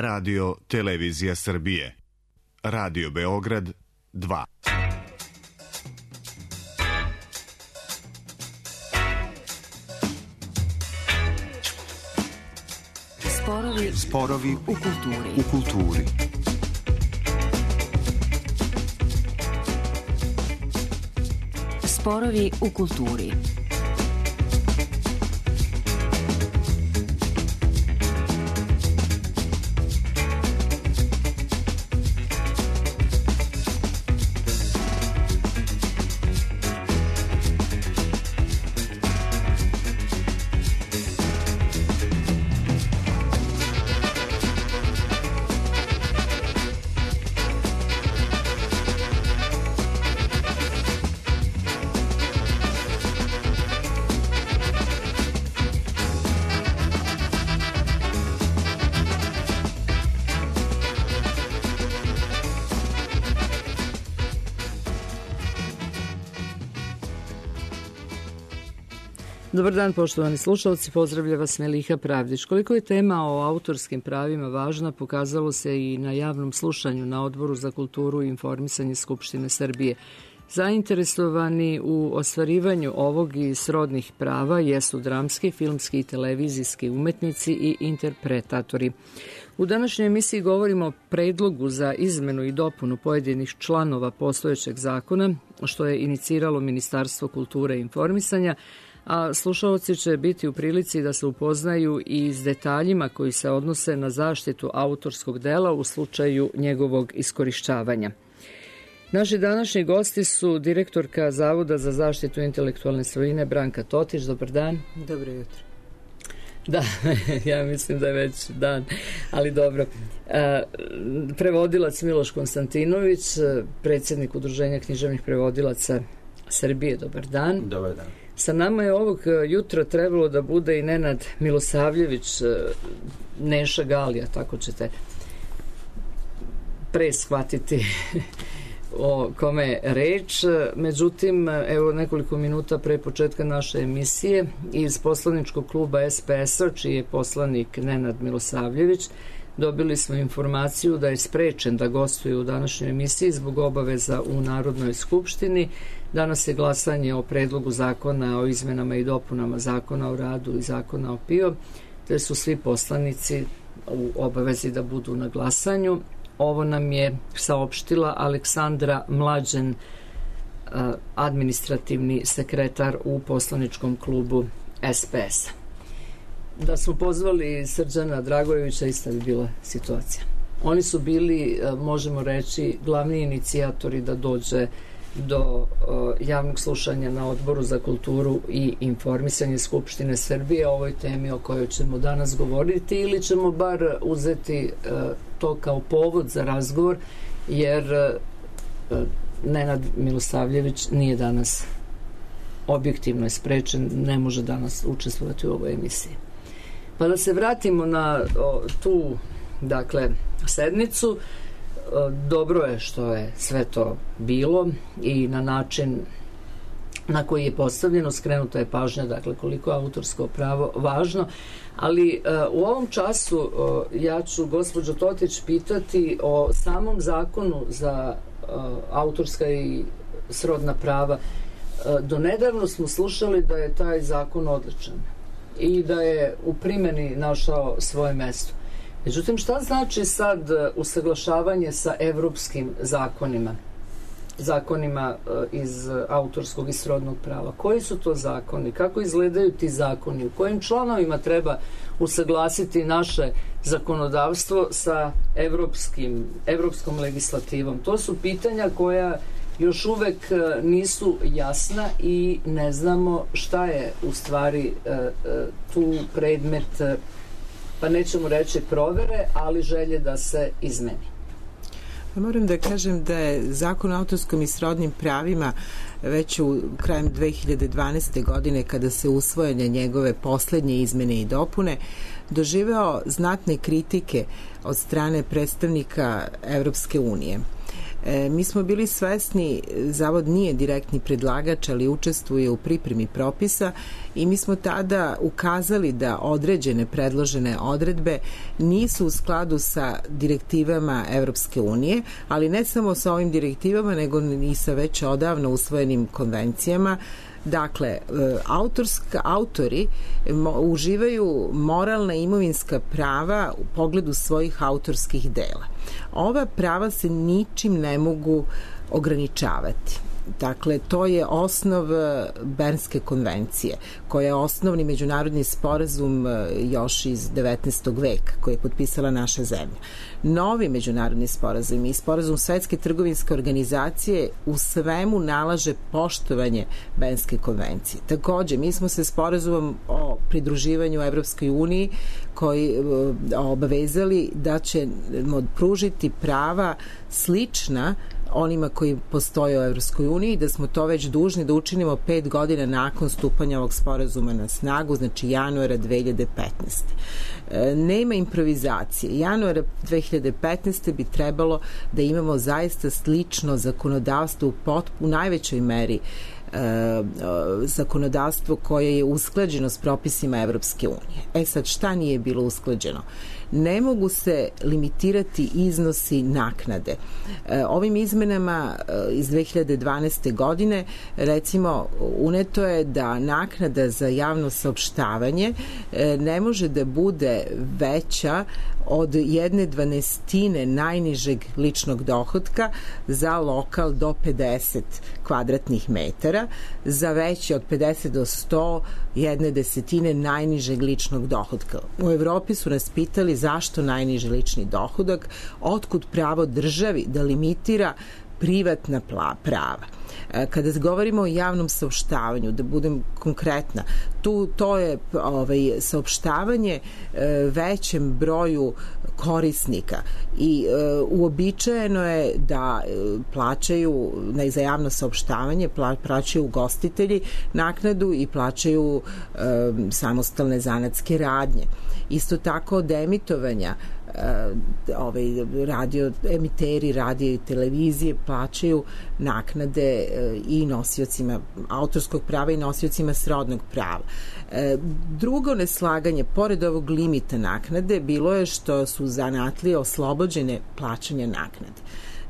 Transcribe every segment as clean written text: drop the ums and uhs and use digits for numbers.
Radio Televizija Srbije. Radio Beograd 2. Sporovi u kulturi. Sporovi u kulturi. Dobar dan, poštovani slušalci, pozdravlja vas Meliha Pravdić. Koliko je tema o autorskim pravima važna, pokazalo se i na javnom slušanju na Odboru za kulturu i informisanje Skupštine Srbije. Zainteresovani u ostvarivanju ovog i srodnih prava jesu dramski, filmski i televizijski umetnici i interpretatori. U današnjoj emisiji govorimo o predlogu za izmenu i dopunu pojedinih članova postojećeg zakona, što je iniciralo Ministarstvo kulture i informisanja, a slušalci će biti u prilici da se upoznaju i s detaljima koji se odnose na zaštitu autorskog dela u slučaju njegovog iskorišćavanja. Naši današnji gosti su direktorka Zavoda za zaštitu intelektualne svojine Branka Totić. Dobar dan. Dobro jutro. Da, ja mislim da je već dan, ali dobro. Prevodilac Miloš Konstantinović, predsjednik Udruženja književnih prevodilaca Srbije. Dobar dan. Dobar dan. Sa nama je ovog jutra trebalo da bude i Nenad Milosavljević, Neša Galija, tako ćete pre shvatiti o kome je reč. Međutim, evo nekoliko minuta pre početka naše emisije iz poslaničkog kluba SPS-a, čiji je poslanik Nenad Milosavljević, dobili smo informaciju da je sprečen da gostuje u današnjoj emisiji zbog obaveza u Narodnoj skupštini. Danas je glasanje o predlogu zakona o izmenama i dopunama Zakona o radu i Zakona o PIO, te su svi poslanici u obavezi da budu na glasanju. Ovo nam je saopštila Aleksandra Mlađen, administrativni sekretar u poslaničkom klubu SPS-a. Da smo pozvali Srđana Dragojevića, ista bi bila situacija. Oni su bili, možemo reći, glavni inicijatori da dođe do javnog slušanja na Odboru za kulturu i informisanje Skupštine Srbije o ovoj temi o kojoj ćemo danas govoriti, ili ćemo bar uzeti to kao povod za razgovor, jer Nenad Milosavljević nije danas, objektivno je sprečen, ne može danas učestvovati u ovoj emisiji. Pa da se vratimo na tu, dakle, sednicu. Dobro je što je sve to bilo i na način na koji je postavljeno, skrenuta je pažnja, dakle, koliko je autorsko pravo važno, ali u ovom času ja ću gospođo Totić pitati o samom zakonu za autorska i srodna prava. Donedavno smo slušali da je taj zakon odličan i da je u primjeni našao svoje mesto. Međutim, šta znači sad usaglašavanje sa evropskim zakonima iz autorskog i srodnog prava? Koji su to zakoni? Kako izgledaju ti zakoni? U kojim članovima treba usaglasiti naše zakonodavstvo sa evropskom legislativom? To su pitanja koja još uvek nisu jasna i ne znamo šta je u stvari tu predmet, pa nećemo reći provere, ali želje da se izmeni. Moram da kažem da je Zakon o autorskom i srodnim pravima već krajem 2012. godine, kada se usvojene njegove poslednje izmene i dopune, doživeo znatne kritike od strane predstavnika Evropske unije. Mi smo bili svesni, Zavod nije direktni predlagač, ali učestvuje u pripremi propisa i mi smo tada ukazali da određene predložene odredbe nisu u skladu sa direktivama Evropske unije, ali ne samo sa ovim direktivama, nego i sa već odavno usvojenim konvencijama. Dakle, autori uživaju moralna i imovinska prava u pogledu svojih autorskih dela. Ova prava se ničim ne mogu ograničavati. Dakle, to je osnov Bernske konvencije, koja je osnovni međunarodni sporazum još iz 19. veka, koji je potpisala naša zemlja. Novi međunarodni sporazum i sporazum Svetske trgovinske organizacije u svemu nalaže poštovanje Bernske konvencije. Takođe, mi smo se sporazumom o pridruživanju Evropskoj uniji koji obavezali da ćemo pružiti prava slična onima koji postoje u Evropskoj uniji, da smo to već dužni da učinimo 5 godina nakon stupanja ovog sporazuma na snagu, znači januara 2015. Nema improvizacije. Januara 2015. bi trebalo da imamo zaista slično zakonodavstvo u najvećoj meri zakonodavstvo koje je usklađeno s propisima Evropske unije. Sad, šta nije bilo usklađeno? Ne mogu se limitirati iznosi naknade. Ovim izmenama iz 2012. godine, recimo, uneto je da naknada za javno saopštavanje ne može da bude veća od 1/12 najnižeg ličnog dohotka za lokal do 50 kvadratnih metara, za veći od 50 do 100 1/10 najnižeg ličnog dohotka. U Evropi su nas pitali zašto najniži lični dohodak, otkud pravo državi da limitira privatna prava. Kada govorimo o javnom saopštavanju, da budem konkretna, to je saopštavanje većem broju korisnika i uobičajeno je da plaćaju za javno saopštavanje, plaćaju ugostitelji naknadu i plaćaju samostalne zanatske radnje. Isto tako od emitovanja emiteri radija i televizije plaćaju naknade i nosiocima autorskog prava i nosiocima srodnog prava. Drugo neslaganje, pored ovog limita naknade, bilo je što su zanatlije oslobođene plaćanja naknade.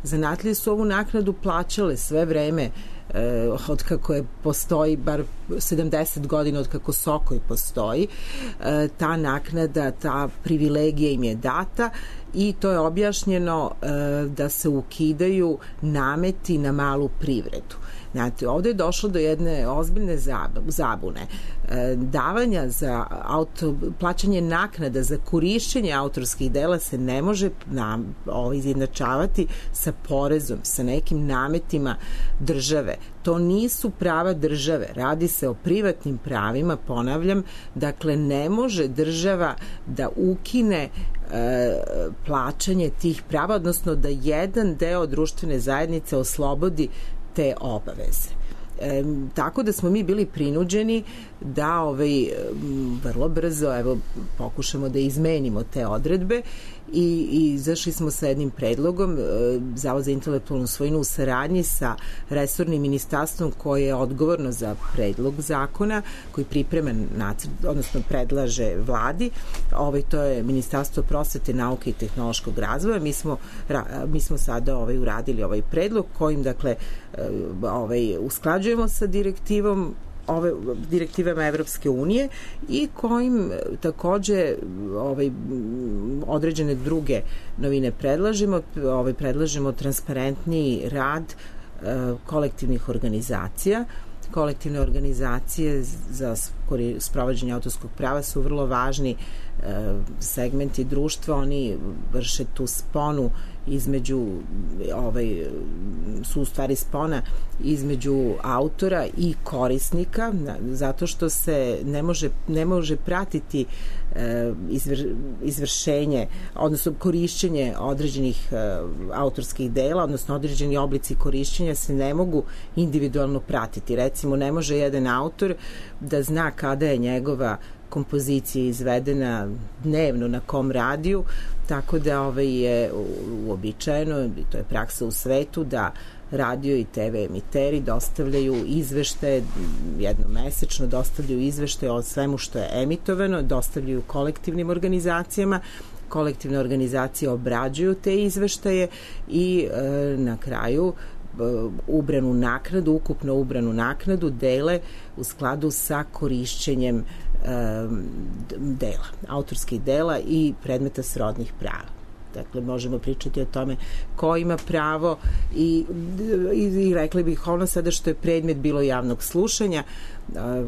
Zanatlije su ovu naknadu plaćale sve vreme od kako je postoji, bar 70 godina od kako Sokoj postoji, ta naknada, ta privilegija im je data i to je objašnjeno da se ukidaju nameti na malu privredu. Znate, ovde je došlo do jedne ozbiljne zabune. Davanja za plaćanje naknada za korišćenje autorskih dela se ne može izjednačavati sa porezom, sa nekim nametima države. To nisu prava države, radi se o privatnim pravima, ponavljam, dakle ne može država da ukine plaćanje tih prava, odnosno da jedan deo društvene zajednice oslobodi te obaveze. Tako da smo mi bili prinuđeni da vrlo brzo pokušamo da izmenimo te odredbe i izašli smo sa jednim predlogom. Zavod za intelektualnu svojinu u saradnji sa resornim ministarstvom koje je odgovorno za predlog zakona koji priprema nacrt, odnosno predlaže vladi. To je Ministarstvo prosvete, nauke i tehnološkog razvoja. Mi smo sada uradili ovaj predlog kojim usklađujemo sa direktivama Evropske unije i kojim takođe određene druge novine predlažemo transparentniji rad kolektivnih organizacija. Kolektivne organizacije za sprovođenje autorskog prava su vrlo važni segmenti društva, oni vrše tu sponu između su u stvari spona između autora i korisnika, zato što se ne može pratiti izvršenje, odnosno korišćenje određenih autorskih dela, odnosno određeni oblici korišćenja se ne mogu individualno pratiti. Recimo, ne može jedan autor da zna kada je njegova kompozicija izvedena dnevno na kom radiju tako da je uobičajeno, i to je praksa u svetu, da radio i TV emiteri dostavljaju izveštaje, jednomesečno dostavljaju izveštaje o svemu što je emitovano, dostavljaju kolektivnim organizacijama, kolektivne organizacije obrađuju te izveštaje i na kraju ubranu naknadu, ukupno ubranu naknadu dele u skladu sa korišćenjem dela, autorskih dela i predmeta srodnih prava. Dakle, možemo pričati o tome ko ima pravo i rekli bih ono sada što je predmet bilo javnog slušanja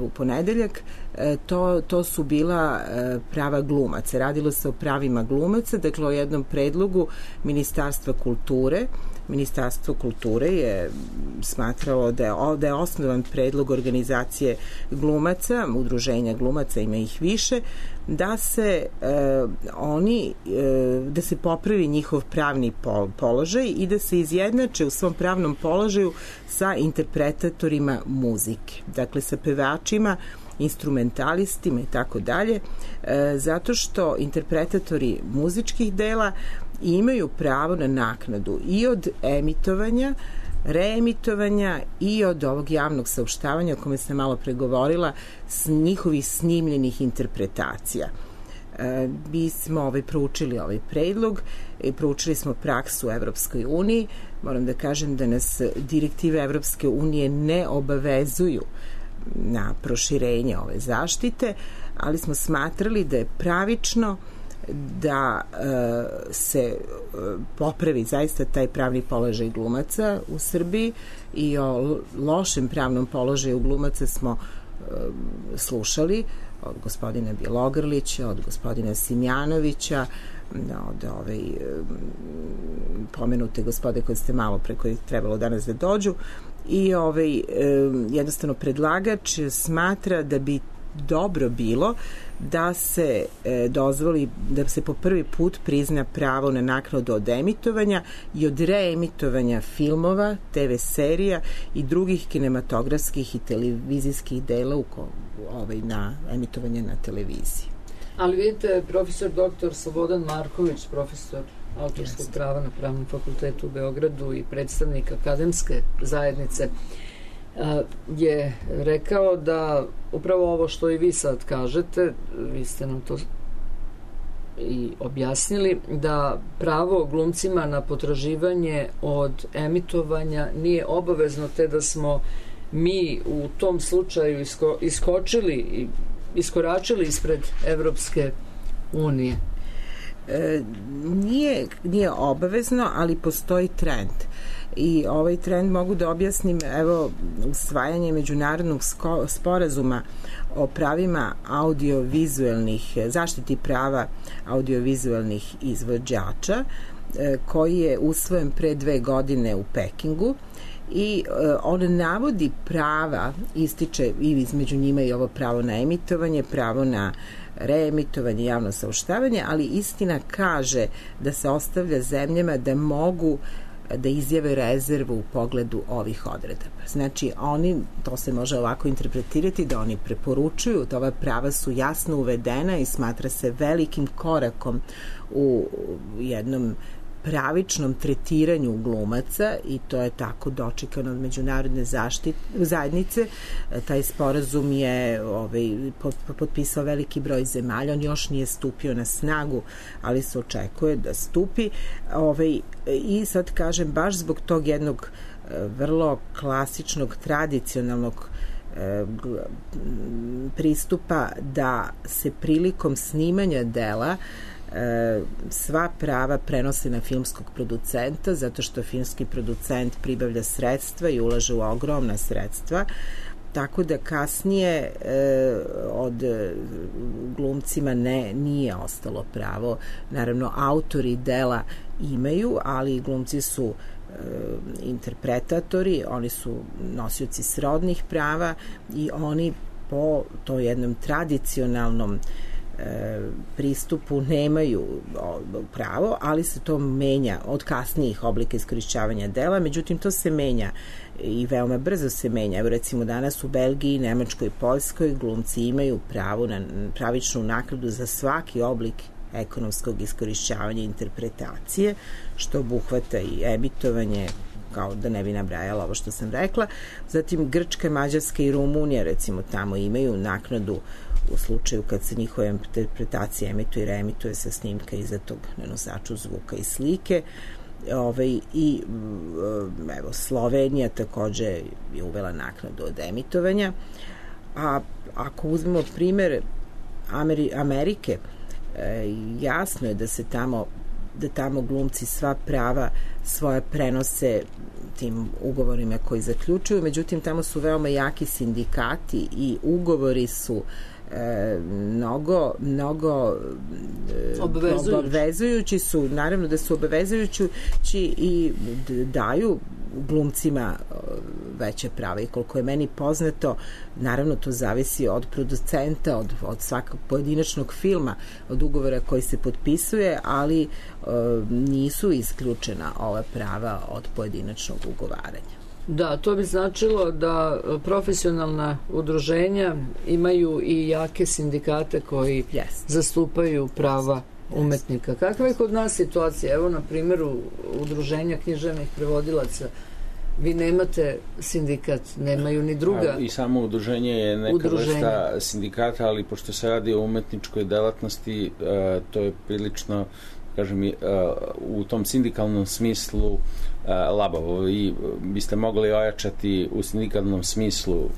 u ponedeljak, to su bila prava glumaca. Radilo se o pravima glumaca, dakle o jednom predlogu Ministarstva kulture. Ministarstvo kulture je smatralo da je osnovan predlog organizacije glumaca, udruženja glumaca, ima ih više, da se da se popravi njihov pravni položaj i da se izjednače u svom pravnom položaju sa interpretatorima muzike, dakle sa pevačima, instrumentalistima i tako dalje, zato što interpretatori muzičkih dela imaju pravo na naknadu i od emitovanja, reemitovanja i od ovog javnog saopštavanja o kome sam malo pregovorila, s njihovih snimljenih interpretacija. Mi smo proučili ovaj predlog i proučili smo praksu u Evropskoj uniji. Moram da kažem da nas direktive Evropske unije ne obavezuju na proširenje ove zaštite, ali smo smatrali da je pravično da se popravi zaista taj pravni položaj glumaca u Srbiji i o lošem pravnom položaju glumaca smo slušali od gospodina Bjelogrlića, od gospodina Simjanovića, od pomenute gospode koje ste malo pre koji trebalo danas da dođu i jednostavno predlagač smatra da bi dobro bilo da se dozvoli, da se po prvi put prizna pravo na naknadu od emitovanja i od reemitovanja filmova, TV serija i drugih kinematografskih i televizijskih dela na emitovanje na televiziji. Ali vidite, profesor dr. Slobodan Marković, profesor autorskog prava na Pravnom fakultetu u Beogradu i predstavnik akademske zajednice, je rekao da upravo ovo što i vi sad kažete, vi ste nam to i objasnili, da pravo glumcima na potraživanje od emitovanja nije obavezno, te da smo mi u tom slučaju iskoračili ispred Evropske unije. Nije obavezno, ali postoji trend. I ovaj trend mogu da objasnim, usvajanje međunarodnog sporazuma o pravima audiovizualnih, zaštiti prava audiovizualnih izvođača, koji je usvojen pre 2 godine u Pekingu i on navodi prava, ističe i između njima i ovo pravo na emitovanje, pravo na reemitovanje, javno saopštavanje, ali istina kaže da se ostavlja zemljama da mogu da izjave rezervu u pogledu ovih odredaba. Znači, to se može ovako interpretirati, da oni preporučuju, da ova prava su jasno uvedena i smatra se velikim korakom u jednom pravičnom tretiranju glumaca i to je tako dočekano od međunarodne zajednice. Taj sporazum je potpisao veliki broj zemalja, on još nije stupio na snagu, ali se očekuje da stupi. I sad kažem, baš zbog tog jednog vrlo klasičnog, tradicionalnog pristupa da se prilikom snimanja dela sva prava prenose na filmskog producenta, zato što filmski producent pribavlja sredstva i ulaže u ogromna sredstva, tako da kasnije od glumcima nije ostalo pravo. Naravno, autori dela imaju, ali glumci su interpretatori, oni su nosioci srodnih prava i oni po to jednom tradicionalnom pristupu nemaju pravo, ali se to menja od kasnijih oblika iskorišćavanja dela, međutim to se menja i veoma brzo se menja. Evo recimo danas u Belgiji, Nemačkoj i Poljskoj glumci imaju pravo na pravičnu naknadu za svaki oblik ekonomskog iskorišćavanja interpretacije, što obuhvata i emitovanje, kao da ne bi nabrajala ovo što sam rekla. Zatim Grčka, Mađarska i Rumunija recimo tamo imaju naknadu u slučaju kad se njihova interpretacija emituje i reemituje sa snimka izdatog na nosaču zvuka i slike. I evo, Slovenija takođe je uvela naknadu od emitovanja. A ako uzmemo primer Amerike, jasno je da tamo glumci sva prava svoje prenose tim ugovorima koji zaključuju, međutim tamo su veoma jaki sindikati i ugovori su mnogo obavezujući su, naravno da su obavezujući i daju glumcima veće prava, i koliko je meni poznato, naravno to zavisi od producenta, od svakog pojedinačnog filma, od ugovora koji se potpisuje, ali nisu isključena ova prava od pojedinačnog ugovaranja. Da, to bi značilo da profesionalna udruženja imaju i jake sindikate koji zastupaju prava umetnika. Kakva je kod nas situacija? Evo na primjeru udruženja književnih prevodilaca. Vi nemate sindikat, nemaju ni druga. I samo udruženje je neka vrsta sindikata, ali pošto se radi o umetničkoj delatnosti, to je prilično, kažem, u tom sindikalnom smislu labavo. I biste mogli ojačati u sindikalnom smislu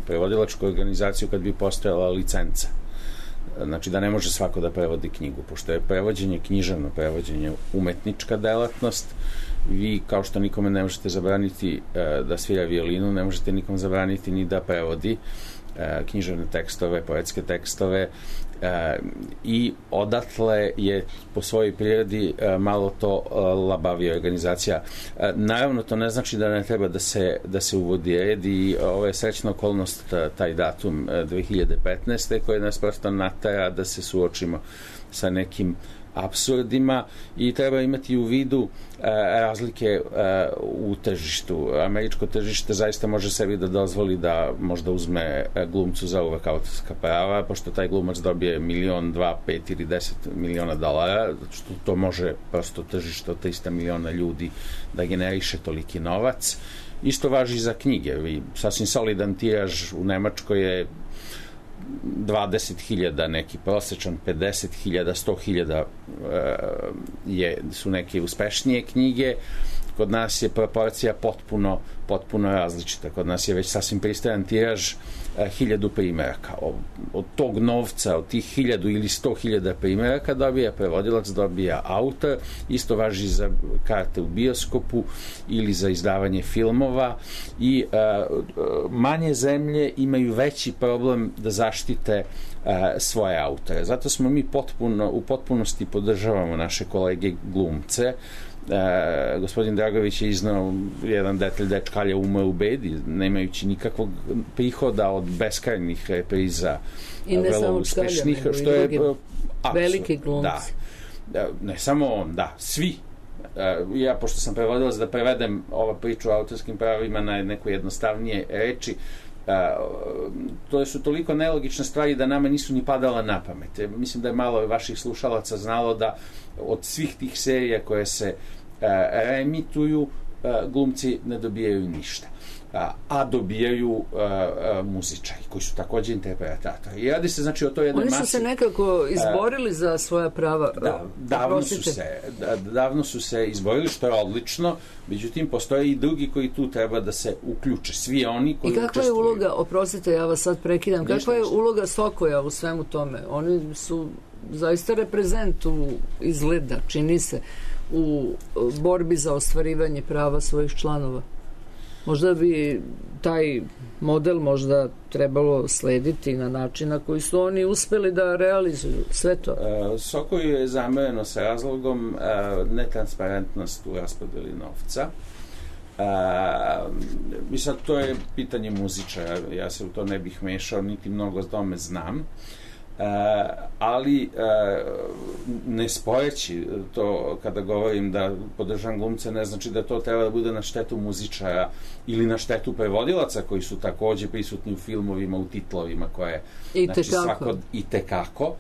prevodilačku organizaciju kad bi postojala licenca. Znači da ne može svako da prevodi knjigu, pošto je prevođenje, književno prevođenje, umetnička delatnost. Vi, kao što nikome ne možete zabraniti da svira violinu, ne možete nikom zabraniti ni da prevodi književne tekstove, poetske tekstove, i odatle je po svojoj prirodi malo to labavija organizacija. Naravno, to ne znači da ne treba da se uvodi red, i ovo je srećna okolnost, taj datum 2015. koji nas prosto natera da se suočimo sa nekim apsurdima, i treba imati u vidu razlike u tržištu. Američko tržište zaista može sebi da dozvoli da možda uzme glumcu za uvek autorska prava, pošto taj glumac dobije 1, 2, 5 ili 10 miliona dolara, što to može prosto tržište od 300 miliona ljudi da generiše toliki novac. Isto važi za knjige. Sasvim solidan tiraž u Nemačkoj je 20.000, neki prosječan 50.000, 100.000 su neke uspešnije knjige. Kod nas je proporcija potpuno različita. Kod nas je već sasvim pristojan tiraž 1000 primeraka. Od tog novca, od tih 1000 ili 100.000 primeraka dobija prevodilac, dobija autor. Isto važi za karte u bioskopu ili za izdavanje filmova, i manje zemlje imaju veći problem da zaštite svoje autore. Zato smo mi u potpunosti podržavamo naše kolege glumce. Gospodin Dragović je iznao jedan detalj da je Čkalja umeo u bedi, nemajući nikakvog prihoda od beskrajnih repriza, i ne samo uspešnih, što je veliki glumci. Da, ne samo on, svi. Ja, pošto sam prevodilac, da prevedem ova priču o autorskim pravima na neko jednostavnije reči, to su toliko nelogične stvari da nama nisu ni padala na pamet. Mislim da je malo vaših slušalaca znalo da od svih tih serija koje se reemituju, glumci ne dobijaju ništa, a dobijaju muzičari koji su takođe interpretatori. I radi se, znači, o toj jednoj masi. Oni su se nekako izborili za svoja prava. Davno su se izborili, što je odlično, međutim postoje i drugi koji tu treba da se uključe, svi oni koji učestvuju. I kakva je uloga, oprostite, ja vas sad prekidam, kakva je uloga Sokoja u svemu tome? Oni su zaista reprezent izgleda, čini se, u borbi za ostvarivanje prava svojih članova. Možda bi taj model možda trebalo slediti na način na koji su oni uspeli da realizuju sve to. Sokoju je zamereno sa razlogom netransparentnost u raspodeli novca. I sad to je pitanje muzičara, ja se u to ne bih mešao, niti mnogo o tome znam. Ali ne sporeći to, kada govorim da podržam glumce, ne znači da to treba da bude na štetu muzičara ili na štetu prevodilaca koji su takođe prisutni u filmovima, u titlovima koje, znači, svako i tekako.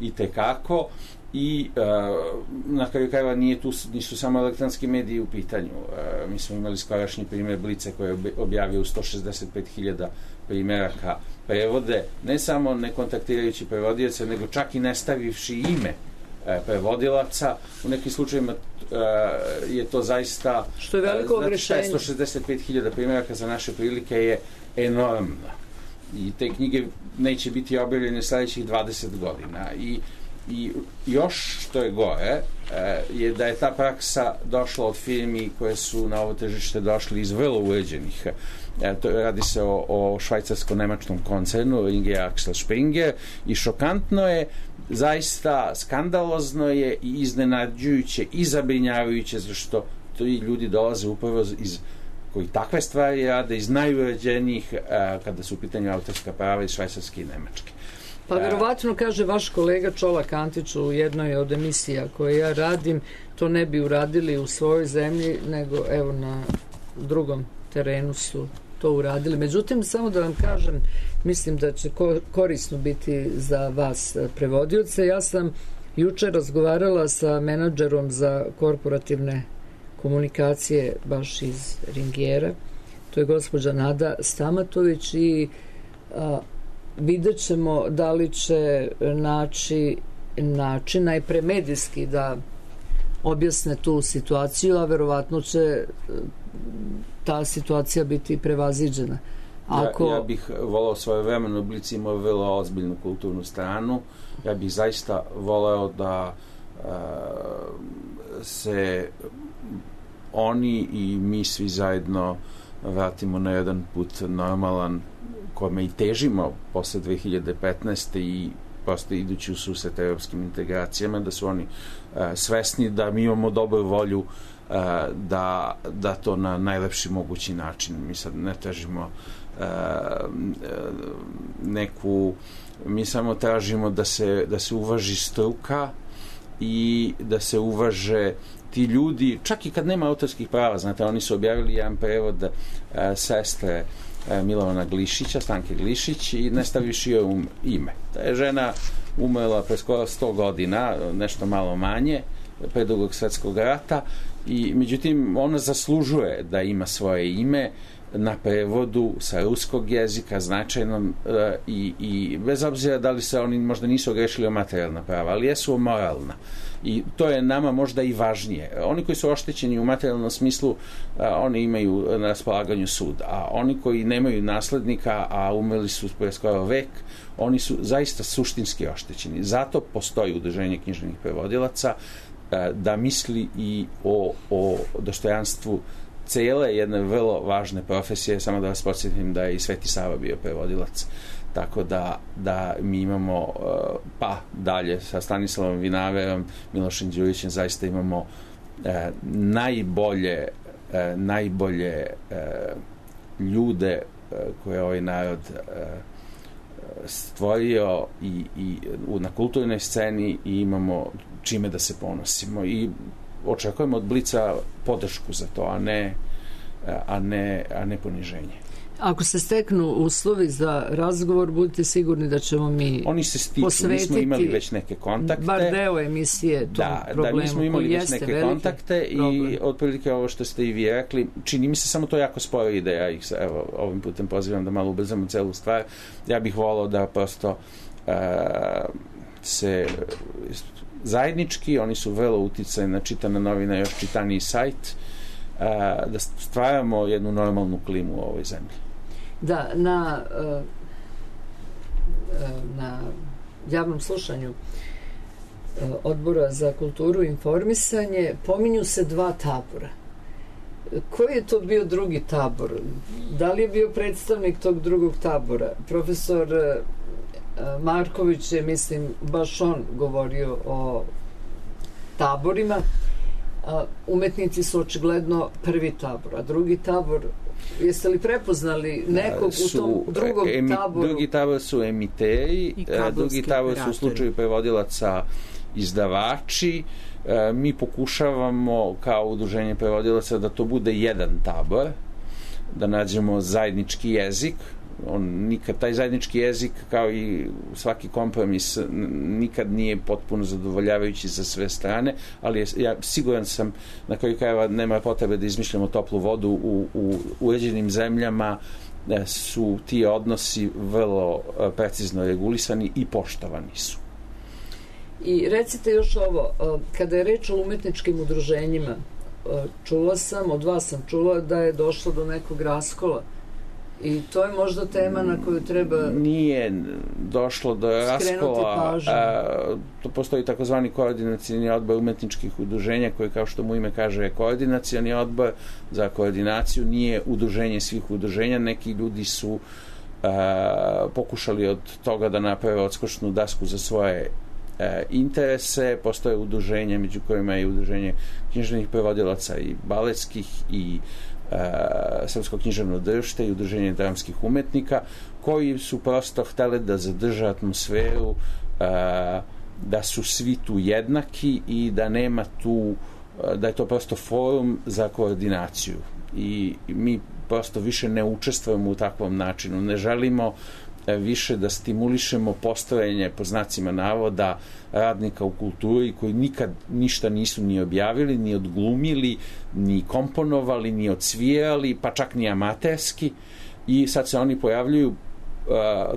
i tekako. I na kraju krajeva nisu samo elektronski mediji u pitanju. Mi smo imali skorašnji primjer Blica koji je objavio 165.000 primjeraka prevode, ne samo ne kontaktirajući prevodioce, nego čak i ne stavivši ime prevodilaca. U nekim slučajima je to zaista... Što je veliko ogrešenje. 165.000 primjeraka za naše prilike je enormno. I te knjige neće biti objavljene sljedećih 20 godina. I još što je gore je da je ta praksa došla od firmi koje su na ovo tržište došli iz vrlo uređenih. Radi se o švajcarsko-nemačkom koncernu Ringier Axel Springer i šokantno je, zaista skandalozno je i iznenađujuće i zabrinjavajuće zašto ti ljudi dolaze upravo koji takve stvari rade iz najuređenijih kada su u pitanju autorska prava iz Švajcarske i Nemačke. Pa verovatno, kaže vaš kolega Čolak Antić u jednoj od emisija koje ja radim, to ne bi uradili u svojoj zemlji, nego evo na drugom terenu su to uradili. Međutim, samo da vam kažem, mislim da će korisno biti za vas prevodioce. Ja sam juče razgovarala sa menadžerom za korporativne komunikacije baš iz Ringiera, to je gospođa Nada Stamatović, i vidjet ćemo da li će naći način najpre medijski da objasne tu situaciju, a verovatno će ta situacija biti prevaziđena. Ja bih volao svojevremeno, Blic imao vrlo ozbiljnu kulturnu stranu. Ja bih zaista voleo da se oni i mi svi zajedno vratimo na jedan put normalan, kome i težimo posle 2015. i posle idući u susret evropskim integracijama, da su oni svesni da mi imamo dobru volju da to na najlepši mogući način. Mi sad ne tražimo mi samo tražimo da se uvaži struka i da se uvaže ti ljudi, čak i kad nema autorskih prava. Znate, oni su objavili jedan prevod sestre Milovana Glišića, Stanke Glišić, i ne staviš joj ime. Ta je žena umrla pre skoro 100 godina, nešto malo manje, pre Drugog svjetskog rata, i međutim ona zaslužuje da ima svoje ime na prevodu sa ruskog jezika značajnom, i bez obzira da li se oni možda nisu ogrešili o materijalna prava, ali jesu o moralna. I to je nama možda i važnije. Oni koji su oštećeni u materijalnom smislu, oni imaju na raspolaganju sud, a oni koji nemaju naslednika, a umrli su pre skoro vek, oni su zaista suštinski oštećeni. Zato postoji udruženje književnih prevodilaca da misli i o dostojanstvu cele jedne vrlo važne profesije. Samo da vas podsjetim da je i Sveti Sava bio prevodilac. Tako da mi imamo, pa dalje sa Stanislavom Vinaverom, Milošem Đurićem, zaista imamo najbolje ljude koje ovaj narod stvorio i na kulturnoj sceni, i imamo čime da se ponosimo i očekujemo od Blica podršku za to, a ne poniženje. Ako se steknu uslovi za razgovor, budite sigurni da ćemo mi oni se stiču, mi smo imali već neke kontakte. Bar deo emisije tom problemu. Da, mi smo imali već neke kontakte i otprilike ovo što ste i vi rekli, čini mi se samo to jako sporo ide. Ja ih ovim putem pozivam da malo ubrzamo celu stvar. Ja bih volao da prosto se zajednički, oni su vrlo uticajni na Čitana novina, još čitaniji sajt, da stvaramo jednu normalnu klimu u ovoj zemlji. Da, na javnom slušanju Odbora za kulturu i informisanje pominju se dva tabora. Koji je to bio drugi tabor? Da li je bio predstavnik tog drugog tabora? Profesor Marković je, mislim, baš on govorio o taborima. Umetnici su očigledno prvi tabor, a drugi tabor, jeste li prepoznali nekog u tom drugom taboru? Drugi tabor su emiteri, drugi tabor su u slučaju prevodilaca izdavači. Mi pokušavamo kao udruženje prevodilaca da to bude jedan tabor, da nađemo zajednički jezik, nikad taj zajednički jezik, kao i svaki kompromis, nikad nije potpuno zadovoljavajući za sve strane, ali ja siguran sam, na kraju krajeva nema potrebe da izmišljamo toplu vodu. U uređenim zemljama su ti odnosi vrlo precizno regulisani i poštovani su. I recite još ovo, kada je reč o umetničkim udruženjima, od vas sam čula da je došlo do nekog raskola. I to je možda tema na koju treba... Nije došlo do raskola. To postoji takozvani koordinacioni odbor umetničkih udruženja, koji, kao što mu ime kaže, je koordinacioni odbor za koordinaciju, nije udruženje svih udruženja. Neki ljudi su pokušali od toga da naprave odskočnu dasku za svoje interese. Postoje udruženje, među kojima je udruženje književnih prevodilaca i baletskih i Srpsko književno društvo i udruženje dramskih umetnika, koji su prosto hteli da zadrže atmosferu da su svi tu jednaki i da nema tu, da je to prosto forum za koordinaciju, i mi prosto više ne učestvujemo u takvom načinu, ne želimo više da stimulišemo postojanje, po znacima navoda, radnika u kulturi koji nikad ništa nisu ni objavili, ni odglumili, ni komponovali, ni odsvirali, pa čak ni amaterski, i sad se oni pojavljuju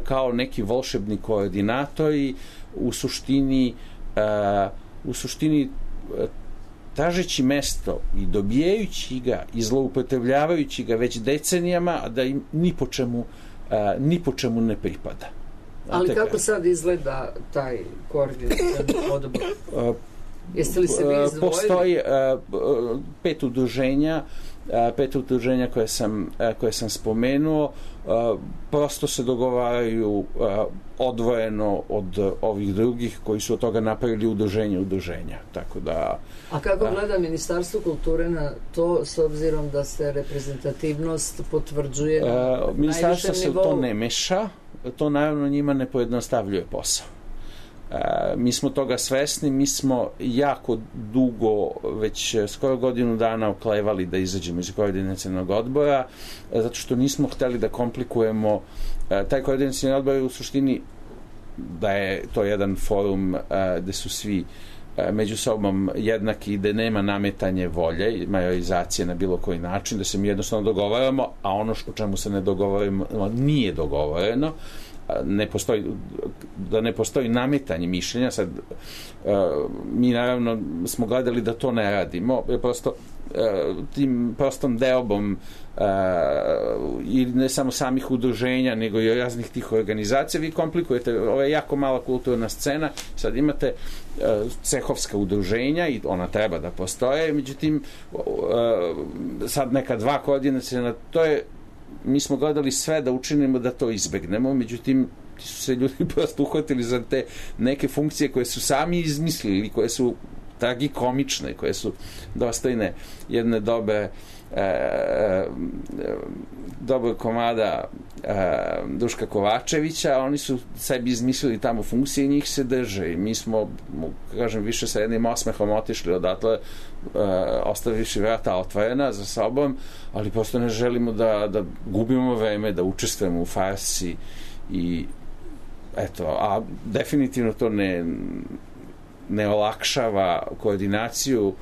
kao neki volšebni koordinatori, u suštini tražeći mesto i dobijajući ga i zloupotrebljavajući ga već decenijama, a da im ni po čemu ne pripada. Ali kako sad izgleda taj koordinacioni odbor? Jeste li se vi izdvojili? Postoji 5 udruženja koje sam spomenuo, prosto se dogovaraju odvojeno od ovih drugih koji su od toga napravili udruženja. Tako da... A kako gleda Ministarstvo kulture na to, s obzirom da se reprezentativnost potvrđuje na najvišem nivou? Ministarstvo se to ne meša, to naravno njima ne pojednostavljuje posao. Mi smo toga svesni, mi smo jako dugo, već skoro godinu dana oklevali da izađemo iz koordinacionog odbora, zato što nismo hteli da komplikujemo. Taj koordinacioni odbor je u suštini da je to jedan forum gde su svi među sobom jednaki i da nema nametanje volje i majorizacije na bilo koji način, da se mi jednostavno dogovaramo, a ono o čemu se ne dogovaramo nije dogovoreno, da ne postoji nametanje mišljenja. Sad mi naravno smo gledali da to ne radimo, jer prosto tim prostom deobom i ne samo samih udruženja, nego i raznih tih organizacija, vi komplikujete. Ovo je jako mala kulturna scena, sad imate cehovska udruženja i ona treba da postoje, međutim sad neka 2 koordinacijona, to je, mi smo gledali sve da učinimo da to izbegnemo, međutim ti su se ljudi prosto uhvatili za te neke funkcije koje su sami izmislili, koje su tragikomične, koje su dostojne jedne dobrog komada Duška Kovačevića. Oni su sebi izmislili tamo funkcije i njih se drže, i mi smo, kažem, više sa jednim osmehom otišli odatle, ostavivši vrata otvorena za sobom, ali prosto ne želimo da gubimo vreme, da učestvujemo u farsi, i eto, a definitivno to ne olakšava koordinaciju,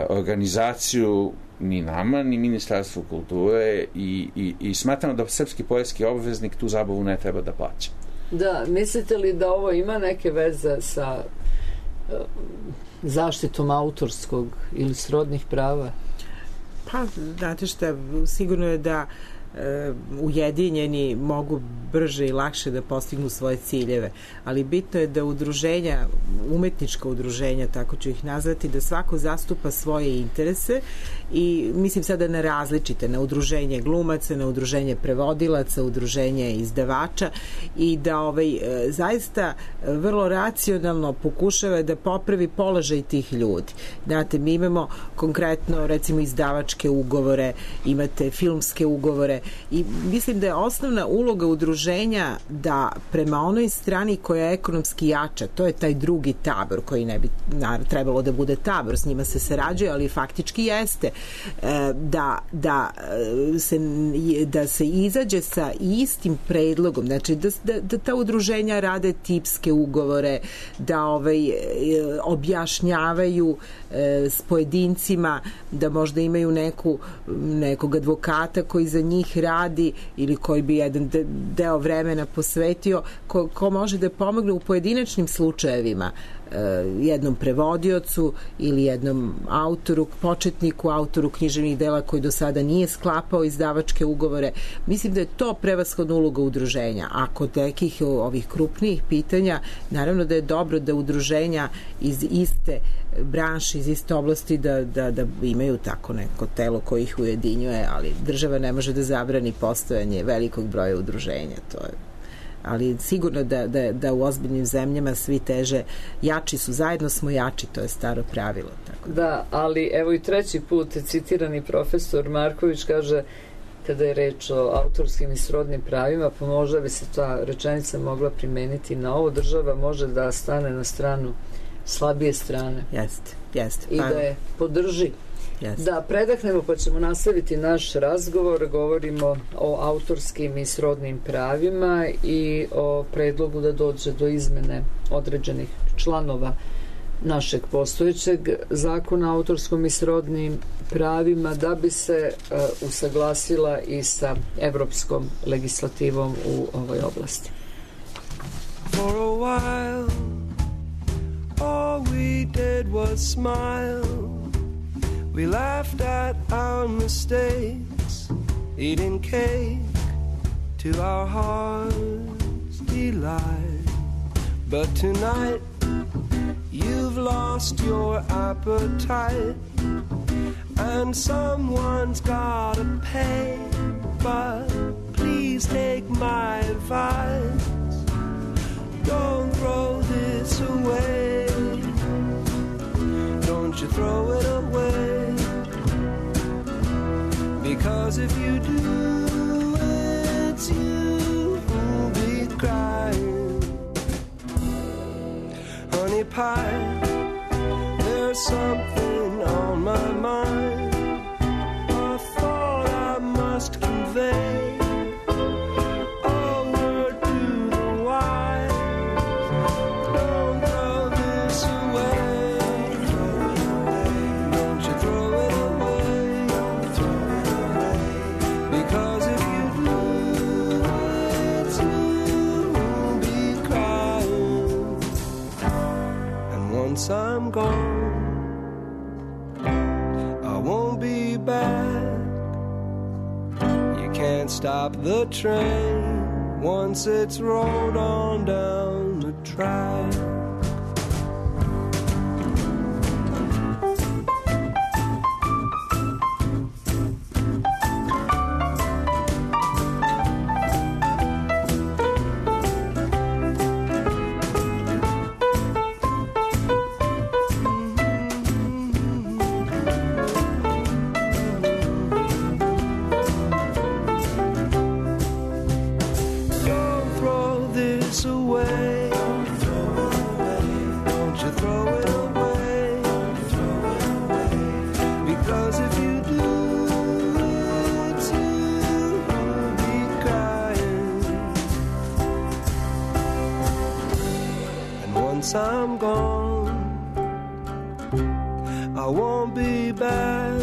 organizaciju ni nama, ni Ministarstvu kulture, i smatramo da srpski poreski obveznik tu zabavu ne treba da plaća. Da, mislite li da ovo ima neke veze sa zaštitom autorskog ili srodnih prava? Pa, znate šta, sigurno je da ujedinjeni mogu brže i lakše da postignu svoje ciljeve, ali bitno je da udruženja, umetnička udruženja, tako ću ih nazvati, da svako zastupa svoje interese, i mislim sada na različite, na udruženje glumaca, na udruženje prevodilaca, udruženje izdavača, i da zaista vrlo racionalno pokušava da popravi položaj tih ljudi. Znate, mi imamo konkretno recimo izdavačke ugovore, imate filmske ugovore, udružuje i mislim da je osnovna uloga udruženja da prema onoj strani koja je ekonomski jača, to je taj drugi tabor koji ne bi trebalo da bude tabor, s njima se sarađuje, ali faktički jeste, da se izađe sa istim predlogom, znači da ta udruženja rade tipske ugovore, da objašnjavaju s pojedincima, da možda imaju nekog advokata koji za njih radi ili koji bi jedan deo vremena posvetio, ko može da pomogne u pojedinačnim slučajevima jednom prevodiocu ili jednom autoru, početniku, autoru književnih dela koji do sada nije sklapao izdavačke ugovore. Mislim da je to prevashodna uloga udruženja. A kod nekih ovih krupnijih pitanja, naravno da je dobro da udruženja iz iste branše, iz iste oblasti da imaju tako neko telo koje ih ujedinjuje, ali država ne može da zabrani postojanje velikog broja udruženja. To je, ali sigurno da u ozbiljnim zemljama svi teže, jači su, zajedno smo jači, to je staro pravilo. Tako. Da, ali evo i treći put citirani profesor Marković kaže, kada je reč o autorskim i srodnim pravima, pa možda bi se ta rečenica mogla primeniti na ovo, država može da stane na stranu slabije strane. Jeste. I da je podrži. Da predahnemo pa ćemo nastaviti naš razgovor. Govorimo o autorskim i srodnim pravima i o predlogu da dođe do izmene određenih članova našeg postojećeg zakona o autorskom i srodnim pravima da bi se usaglasila i sa evropskom legislativom u ovoj oblasti. For a while all we did was smile. We laughed at our mistakes, eating cake to our heart's delight. But tonight, you've lost your appetite, and someone's gotta pay. But please take my advice, don't throw this away. Don't you throw it away. Because if you do, it's you who'll be crying. Honey pie, there's something on my mind, a thought I must convey, a word to the wise. Don't throw this away. Don't you throw it away. Because if you do, it's you who'll be crying. And once I'm gone, I won't be back. You can't stop the train once it's rolled on down the track. I'm gone, I won't be back.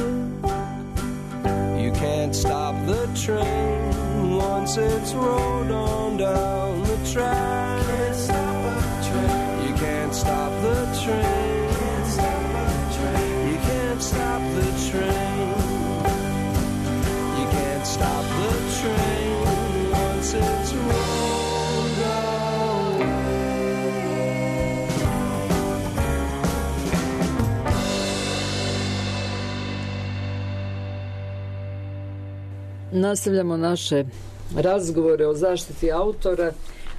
You can't stop the train once it's rolled on down the track. You can't stop the train. You can't stop the train. You can't stop the train once it's rolled down. Nastavljamo naše razgovore o zaštiti autora,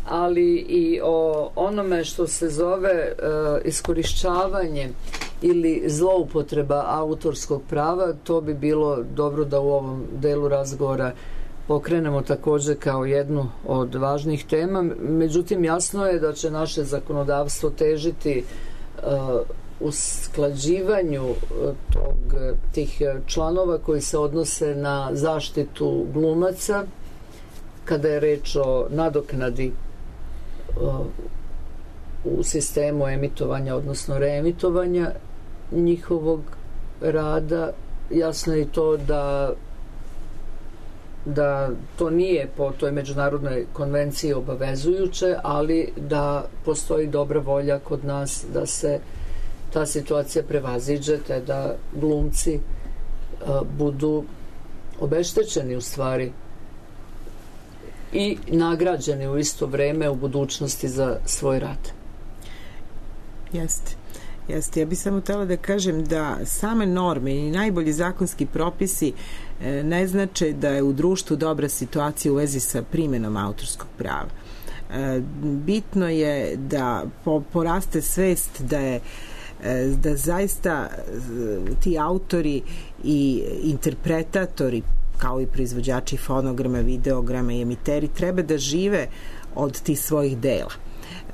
ali i o onome što se zove iskorišćavanje ili zloupotreba autorskog prava. To bi bilo dobro da u ovom delu razgovora pokrenemo takođe kao jednu od važnih tema. Međutim, jasno je da će naše zakonodavstvo težiti usklađivanju tih članova koji se odnose na zaštitu glumaca kada je reč o nadoknadi u sistemu emitovanja, odnosno reemitovanja njihovog rada. Jasno je i to da to nije po toj međunarodnoj konvenciji obavezujuće, ali da postoji dobra volja kod nas da se ta situacija prevaziđe, te da glumci budu obeštećeni u stvari i nagrađeni u isto vreme u budućnosti za svoj rad. Jeste. Ja bih samo htela da kažem da same norme i najbolji zakonski propisi ne znače da je u društvu dobra situacija u vezi sa primenom autorskog prava. Bitno je da poraste svest da zaista ti autori i interpretatori, kao i proizvođači fonograma, videograma i emiteri, treba da žive od tih svojih dela.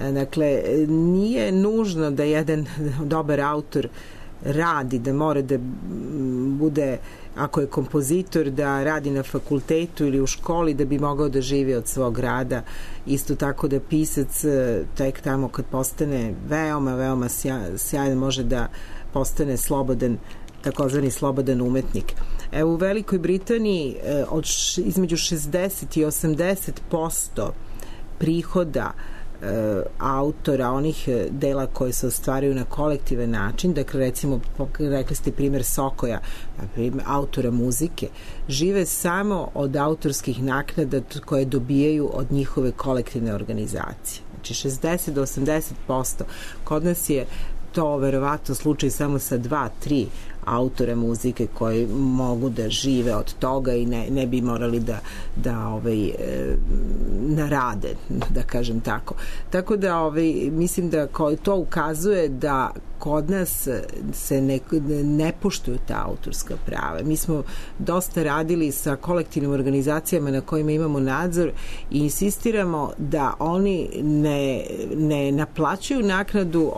Dakle, nije nužno da jedan dobar autor radi, da mora da bude, ako je kompozitor, da radi na fakultetu ili u školi da bi mogao da živi od svog rada. Isto tako da pisac tek tamo kad postane veoma sjajan može da postane slobodan, takozvani slobodan umetnik. Evo, u Velikoj Britaniji između 60 i 80% prihoda autora, onih dela koje se ostvaruju na kolektivan način, dakle recimo rekli ste primjer Sokoja, autora muzike, žive samo od autorskih naknada koje dobijaju od njihove kolektivne organizacije. Znači 60 do 80%. Kod nas je to verovatno slučaj samo sa 2-3 autora muzike koji mogu da žive od toga i ne bi morali da narade, da kažem tako. Tako da mislim da to ukazuje da kod nas se ne poštuju ta autorska prava. Mi smo dosta radili sa kolektivnim organizacijama na kojima imamo nadzor i insistiramo da oni ne naplaćuju naknadu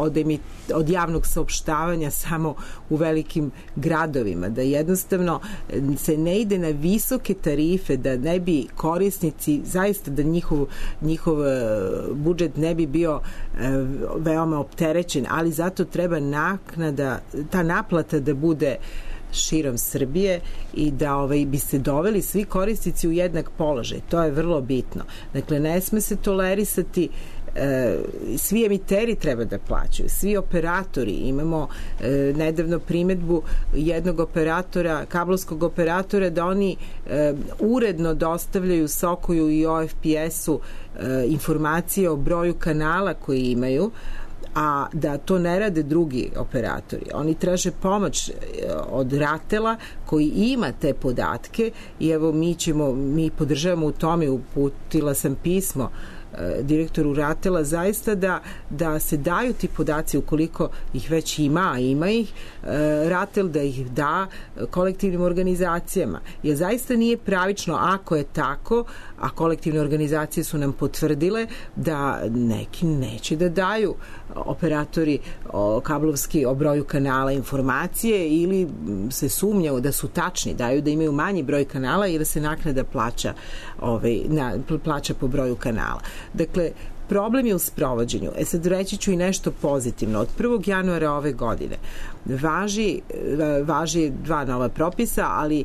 od javnog saopštavanja samo u velikim gradovima, da jednostavno se ne ide na visoke tarife, da ne bi korisnici, zaista da njihov budžet ne bi bio veoma opterećen, ali zato treba ta naplata da bude širom Srbije i da bi se doveli svi korisnici u jednak položaj. To je vrlo bitno. Dakle, ne sme se tolerisati, svi emiteri treba da plaćaju, svi operatori. Imamo nedavno primetbu jednog operatora, kablovskog operatora, da oni uredno dostavljaju Sokoju i OFPS-u informacije o broju kanala koji imaju, a da to ne rade drugi operatori. Oni traže pomoć od Ratela koji ima te podatke i evo mi podržavamo u tome, uputila sam pismo direktoru Ratela, zaista da se daju ti podaci ukoliko ih već ima, a ima ih, Ratel da ih da kolektivnim organizacijama. Jer zaista nije pravično ako je tako, a kolektivne organizacije su nam potvrdile da neki neće da daju operatori kablovski o broju kanala informacije ili se sumnjaju da su tačni, daju da imaju manji broj kanala ili se naknada plaća po broju kanala. Dakle, problem je u sprovođenju. Sad reći ću i nešto pozitivno. Od 1. januara ove godine važi 2 nova propisa, ali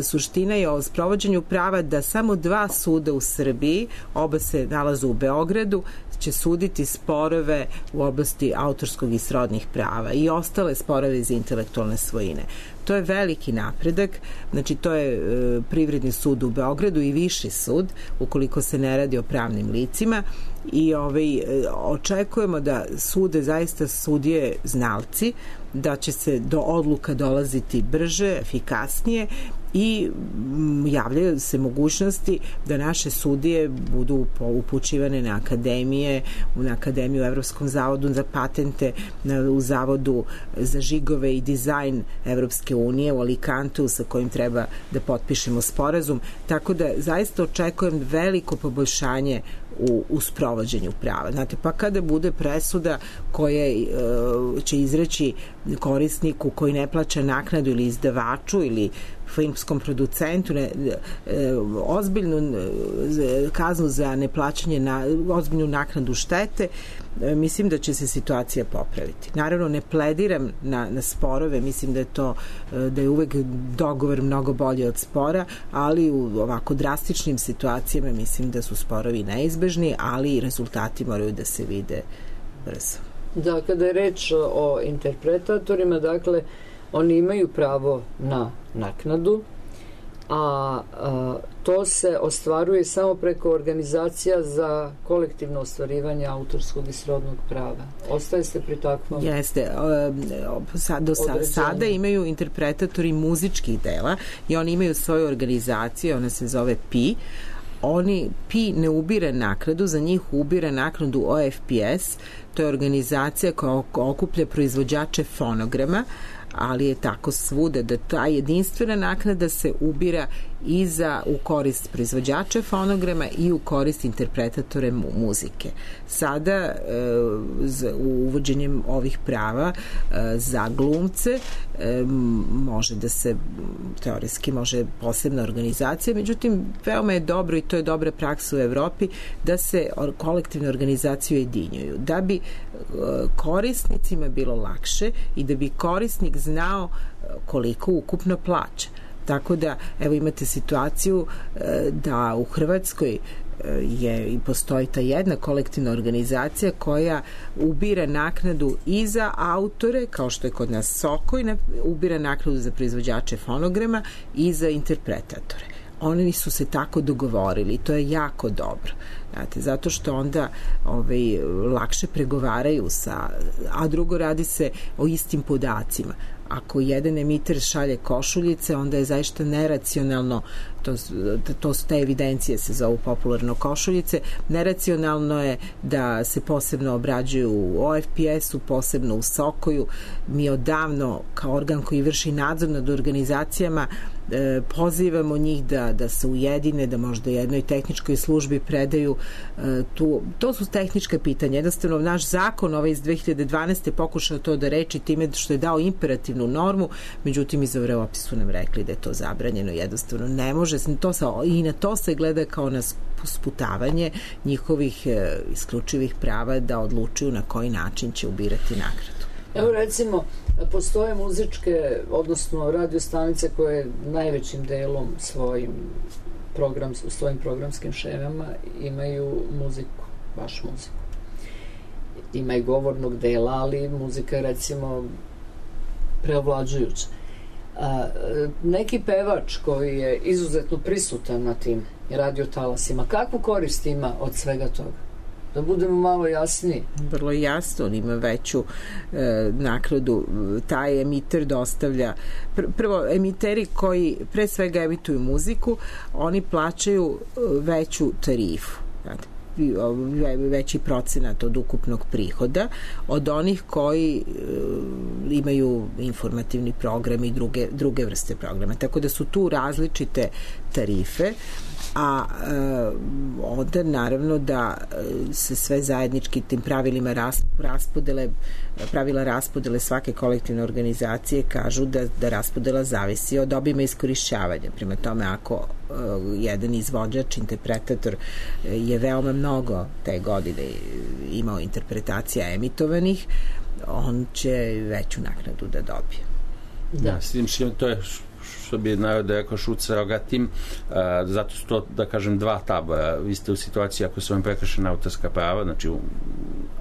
suština je o sprovođenju prava da samo 2 suda u Srbiji, oba se nalaze u Beogradu, će suditi sporove u oblasti autorskog i srodnih prava i ostale sporove iz intelektualne svojine. To je veliki napredak, znači to je Privredni sud u Beogradu i Viši sud, ukoliko se ne radi o pravnim licima, i očekujemo da sude zaista sudije znalci, da će se do odluka dolaziti brže, efikasnije i javljaju se mogućnosti da naše sudije budu upućivane na akademije, na Akademiju u Evropskom zavodu za patente, u Zavodu za žigove i dizajn Evropske unije u Alicantu sa kojim treba da potpišemo sporazum, tako da zaista očekujem veliko poboljšanje u sprovođenju prava. Znate, pa kada bude presuda koja će izreći korisniku koji ne plaća naknadu ili izdavaču ili filmskom producentu ozbiljnu kaznu za neplaćanje ozbiljnu naknadu štete, mislim da će se situacija popraviti. Naravno, ne plediram na sporove, mislim da je uvek dogovor mnogo bolji od spora, ali u ovako drastičnim situacijama mislim da su sporovi neizbežni, ali i rezultati moraju da se vide brzo. Da, kada je reč o interpretatorima, dakle, oni imaju pravo na naknadu, a to se ostvaruje samo preko organizacija za kolektivno ostvarivanje autorskog i srodnog prava. Ostaje se pri takvom? Jeste. Sada imaju interpretatori muzičkih dela i oni imaju svoju organizaciju, ona se zove PI. PI ne ubira naknadu, za njih ubira naknadu OFPS, to je organizacija koja okuplja proizvođače fonograma, ali je tako svuda da ta jedinstvena naknada se ubira i u korist proizvođača fonograma i u korist interpretatore muzike. Sada uvođenjem ovih prava za glumce može da se teoretski može posebna organizacija, međutim veoma je dobro i to je dobra praksa u Evropi da se kolektivne organizacije ujedinjuju, da bi korisnicima bilo lakše i da bi korisnik znao koliko ukupno plaća. Tako da, evo imate situaciju da u Hrvatskoj i postoji ta jedna kolektivna organizacija koja ubira naknadu i za autore, kao što je kod nas Sokoj, ubira naknadu za proizvođače fonograma i za interpretatore. Oni su se tako dogovorili i to je jako dobro. Znate, zato što onda lakše pregovaraju a drugo radi se o istim podacima. Ako jedan emiter šalje košuljice, onda je zaista neracionalno, to su te evidencije se zovu popularno košuljice, neracionalno je da se posebno obrađuju u OFPS-u, posebno u Sokoju. Mi odavno, kao organ koji vrši nadzor nad organizacijama, pozivamo njih da se ujedine, da možda jednoj tehničkoj službi predaju to su tehnička pitanja. Jednostavno, naš zakon iz 2012. pokušao to da reči time što je dao imperativnu normu, međutim iz Evrope su nam rekli da je to zabranjeno, jednostavno ne može i na to se gleda kao na sputavanje njihovih isključivih prava da odlučuju na koji način će ubirati nagradu. Evo recimo, postoje muzičke, odnosno radio stanice koje najvećim delom svojim programskim šemama imaju muziku, baš muziku. Ima i govornog dela, ali muzika je recimo preovlađujuća. Neki pevač koji je izuzetno prisutan na tim radiotalasima, kakvu korist ima od svega toga? Da budemo malo jasniji. Vrlo jasno, on ima veću naknadu. Taj emiter dostavlja prvo, emiteri koji pre svega emituju muziku, oni plaćaju veću tarifu, veći procenat od ukupnog prihoda od onih koji imaju informativni program i druge vrste programa. Tako da su tu različite tarife, a onda naravno da se sve zajednički tim pravilima pravila raspodele svake kolektivne organizacije kažu da raspodela zavisi od obima iskorišćavanja. Prema tome, ako jedan izvođač, interpretator je veoma mnogo te godine imao interpretacija emitovanih, on će veću naknadu da dobije. Da, s tim to je što bi narod rekao šut sa rogatim, zato su to, da kažem, dva tabora. Vi ste u situaciji ako su vam prekršena autorska prava, znači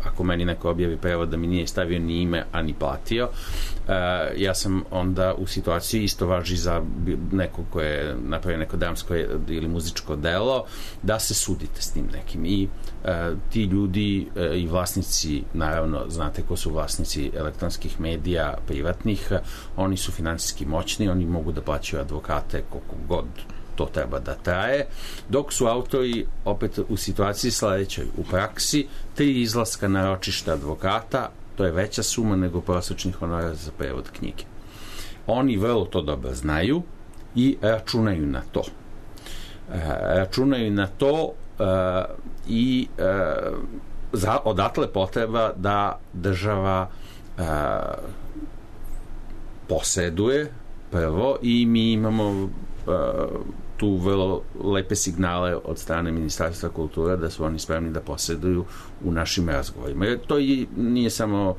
ako meni neko objavi prevod da mi nije stavio ni ime, a ni platio, ja sam onda u situaciji, isto važi za nekog ko je napravio neko dramsko ili muzičko delo, da se sudite s tim nekim. I ti ljudi i vlasnici, naravno, znate ko su vlasnici elektronskih medija privatnih, oni su finansijski moćni, oni mogu da plate naplaćuju advokate koliko god to treba da traje, dok su autori opet u situaciji sledećoj. U praksi 3 izlaska na ročište advokata, to je veća suma nego prosečni honorar za prevod knjige. Oni vrlo to dobro znaju i računaju na to. I odatle potreba da država poseduje prvo i mi imamo tu vrlo lepe signale od strane Ministarstva kultura da su oni spremni da poseduju u našim razgovorima. Jer to nije samo,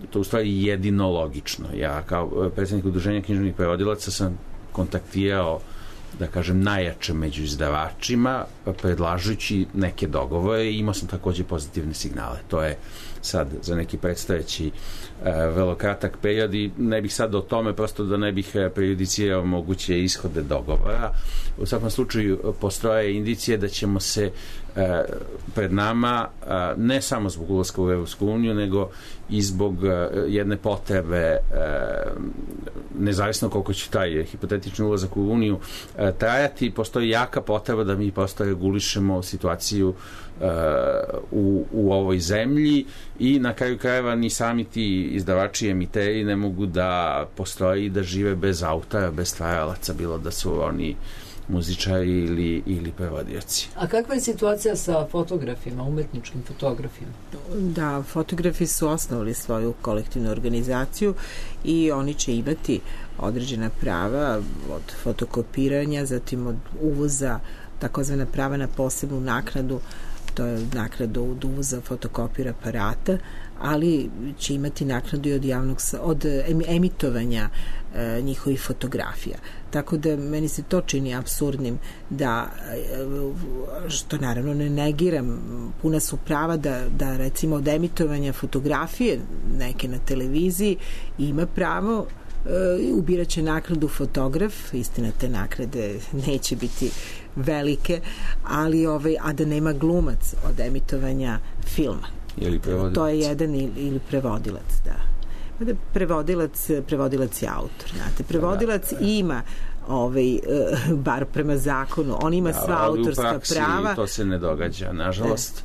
to u stvari jedino logično. Ja kao predsjednik Udruženja književnih prevodilaca sam kontaktirao, da kažem, najjače među izdavačima, predlažući neke dogovore i imao sam takođe pozitivne signale. To je sad za neki predstojeći vrlo kratak period i ne bih sad o tome, prosto da ne bih prejudicirao moguće ishode dogovora. U svakom slučaju postoje indicije da ćemo se pred nama, ne samo zbog ulaska u Evropsku uniju, nego i zbog jedne potrebe, nezavisno koliko će taj hipotetični ulazak u Uniju trajati, postoji jaka potreba da mi prosto regulišemo situaciju u ovoj zemlji i na kraju krajeva ni sami ti izdavači i emiteri ne mogu da postoji i da žive bez autora, bez stvaralaca, bilo da su oni muzičari ili prevodioci. A kakva je situacija sa fotografima, umetničkim fotografima? Da, fotografi su osnovali svoju kolektivnu organizaciju i oni će imati određena prava od fotokopiranja, zatim od uvoza, takozvana prava na posebnu naknadu, to je naknada od uvoza fotokopira aparata, ali će imati naknadu i od emitovanja njihovih fotografija. Tako da meni se to čini apsurdnim da, što naravno ne negiram, puna su prava da recimo od emitovanja fotografije neke na televiziji ima pravo, ubiraće naknadu fotograf, istina te naknade neće biti velike, ali a da nema glumac od emitovanja filma. Ili prevodilac. To je jedan ili prevodilac, da. Prevodilac je autor, znate. Prevodilac ima bar prema zakonu, on ima sva autorska prava. Ali u praksi to se ne događa, nažalost.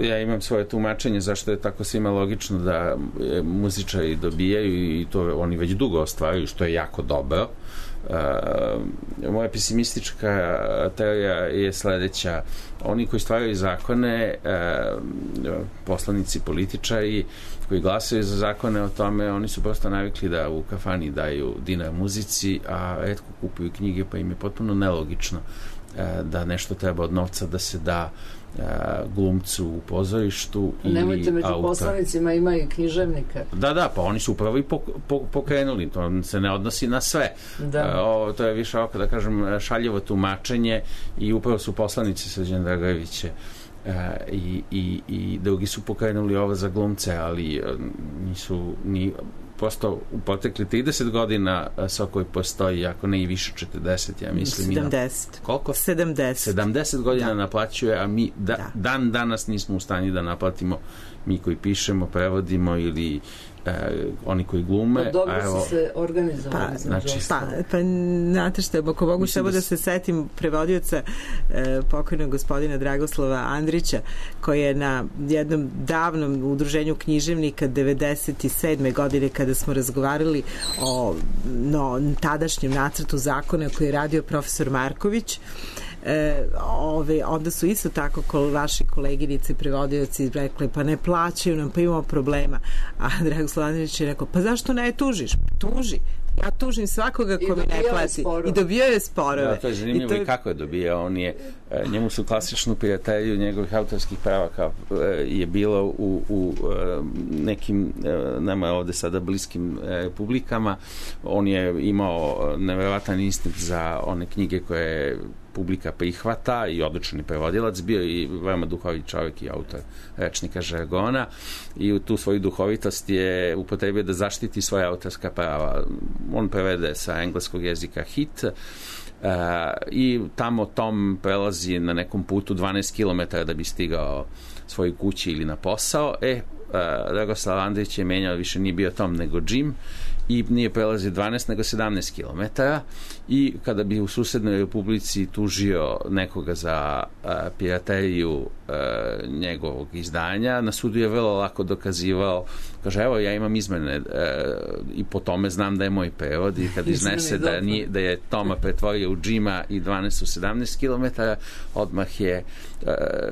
Ja imam svoje tumačenje zašto je tako svima logično da muzičari dobijaju i to oni već dugo ostvaruju, što je jako dobro. Moja pesimistička teorija je sledeća. Oni koji stvaraju zakone, poslanici, političari koji glasaju za zakone o tome, oni su prosto navikli da u kafani daju dinar muzici, a retko kupuju knjige, pa im je potpuno nelogično da nešto treba od novca da se da glumcu u pozorištu ili autor. Nemojte, među poslanicima ima i književnika. Da, pa oni su upravo i pokrenuli, to se ne odnosi na sve. To je više ovako, da kažem, šaljivo tumačenje i upravo su poslanici Srđana Dragojevića i drugi su pokrenuli ovo za glumce, ali nisu ni prosto u potekli 30 godina Sokoj postoji, ako ne i više 40, ja mislim. 70. Koliko? 70 godina naplaćuje, a mi dan danas nismo u stanju da naplatimo, mi koji pišemo, prevodimo ili oni koji glume. Dobro su se organizovali. Pa znate što, ako mogu samo da se setim prevodioca pokojnog gospodina Dragoslava Andrića, koji je na jednom davnom udruženju književnika 97. godine, kada smo razgovarali o tadašnjem nacrtu zakona koji je radio profesor Marković, onda su isto tako vaši koleginice prevodioci rekli, pa ne plaćaju nam, pa imamo problema, a Dragoslav Andrić je rekao, pa zašto ne tužiš? Tuži, ja tužim svakoga ko mi ne plati i dobijao je sporove. Da, to je zanimljivo i kako je dobijao. Njemu su klasičnu prijatelju njegovih autorskih prava je bilo u nekim nama ovde sada bliskim republikama. On je imao neverovatan instinkt za one knjige koje publika prihvata i odličan prevodilac, bio i veoma duhovit čovjek i autor rečnika žargona i u tu svoju duhovitost je upotrebio da zaštiti svoje autorska prava. On prevede sa engleskog jezika hit i tamo Tom prelazi na nekom putu 12 km da bi stigao svojoj kući ili na posao. Dragoslav Andrić je menjao, više nije bio Tom nego Jim i nije prelazio 12 nego 17 km i kada bi u susednoj republici tužio nekoga za pirateriju njegovog izdanja, na sudu je vrlo lako dokazivao, kaže evo ja imam izmene i po tome znam da je moj prevod i kad iznese da je Toma pretvorio u Jima i 12 u 17 km, odmah je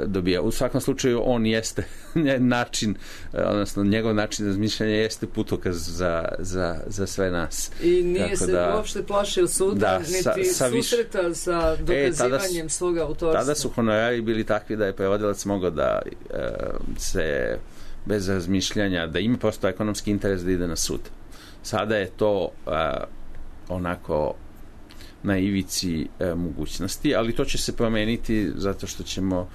dobija. U svakom slučaju on jeste način, odnosno njegov način razmišljanja jeste putokaz za sve nas. I nije se uopšte plašio suda, niti susreta sa dokazivanjem svog autorstva. Tada su honorari bili takvi da je prevodilac mogao da se bez razmišljanja, da ima prosto ekonomski interes da ide na sud. Sada je to onako na ivici mogućnosti, ali to će se promeniti zato što ćemo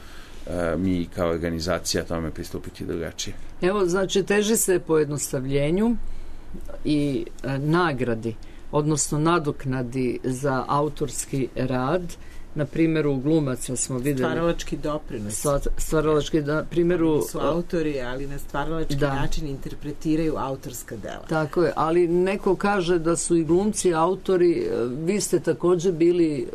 mi kao organizacija tome pristupiti drugačije. Evo, znači, teži se pojednostavljenju i nagradi, odnosno nadoknadi za autorski rad. Na primjeru glumaca smo videli stvaralački doprinos. Stvaralački primjeru oni su autori, ali na stvaralački način interpretiraju autorska dela. Tako je, ali neko kaže da su i glumci autori. Vi ste također bili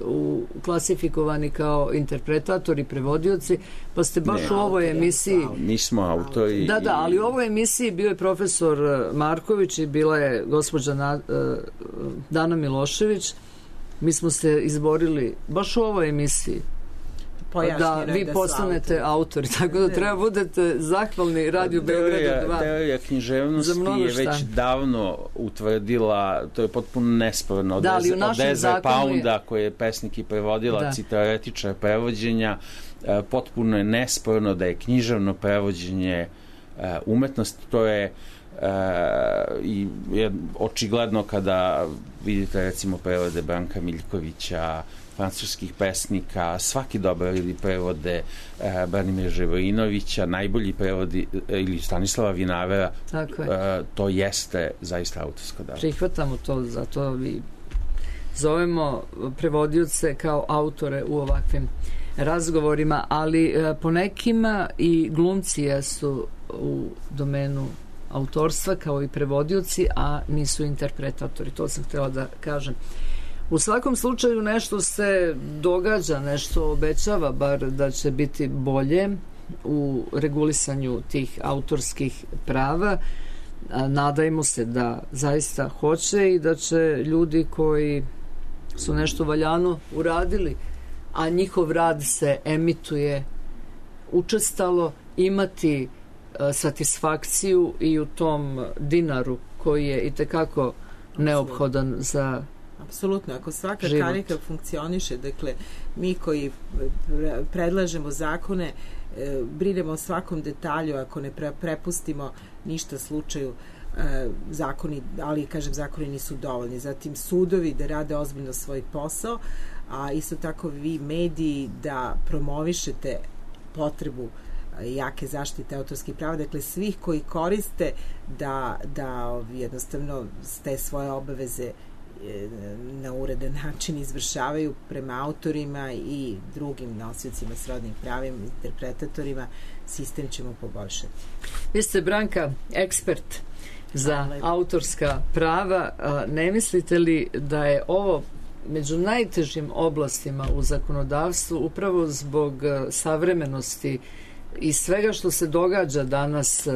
klasifikovani kao interpretatori, prevodioci, pa ste baš u ovoj emisiji... Mi smo autori. Da, ali u ovoj emisiji bio je profesor Marković i bila je gospođa Dana Milošević. Mi smo se izborili baš u ovoj emisiji da vi postanete autori, tako da treba budete zahvalni Radio Beogradu 2. Teorija književnosti je već davno utvrdila, to je potpuno nesporno, od Ezre Pounda koji je pesnik i prevodilac i teoretičar prevođenja, potpuno je nesporno da je književno prevođenje umetnost. To je i očigledno kada vidite recimo prevode Branka Miljkovića, francuskih pesnika, svaki dobar ili prevode Branimira Živojinovića, najbolji prevodi ili Stanislava Vinavera, to jeste zaista autorsko delo. Prihvatamo to, zato vi zovemo prevodioce kao autore u ovakvim razgovorima, ali po nekima i glumci jesu u domenu autorstva kao i prevodioci, a nisu interpretatori. To sam htjela da kažem. U svakom slučaju nešto se događa, nešto obećava bar da će biti bolje u regulisanju tih autorskih prava. Nadajmo se da zaista hoće i da će ljudi koji su nešto valjano uradili, a njihov rad se emituje učestalo, imati satisfakciju i u tom dinaru koji je itekako neophodan za apsolutno, ako svaka život. Karika funkcioniše, dakle mi koji predlažemo zakone brinemo o svakom detalju, ako ne prepustimo ništa slučaju, zakoni, ali kažem zakoni nisu dovoljni, zatim sudovi da rade ozbiljno svoj posao, a isto tako vi mediji da promovišete potrebu jake zaštite autorskih prava, dakle svih koji koriste da jednostavno te svoje obaveze na uredan način izvršavaju prema autorima i drugim nosiocima srodnih pravima, interpretatorima, sistem ćemo poboljšati. Vi ste, Branka, ekspert za autorska prava. Ne mislite li da je ovo među najtežim oblastima u zakonodavstvu upravo zbog savremenosti i svega što se događa danas